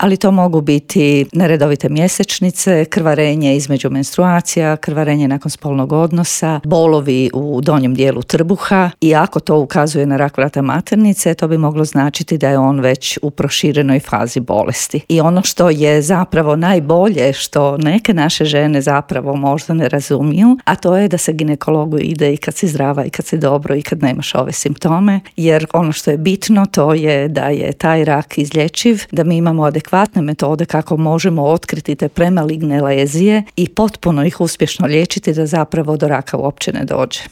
ali to mogu biti neredovite mjesečnice, krvarenje između menstruacija, krvarenje nakon spolnog odnosa, bolovi u donjem dijelu trbuha i ako to ukazuje na rak vrata maternice, to bi moglo značiti da je on već u proširenoj fazi bolesti. I ono što je zapravo najbolje, što neke naše žene zapravo možda ne razumiju, a to je da se ginekologu ide i kad si zdrava i kad si dobro i kad nemaš ove simptome, jer ono što je bitno to je da je taj rak izlječiv, da mi imamo adekvatne metode kako možemo otkriti te premaligne lezije i potpuno ih uspješno liječiti da zapravo do raka uopće ne dođe.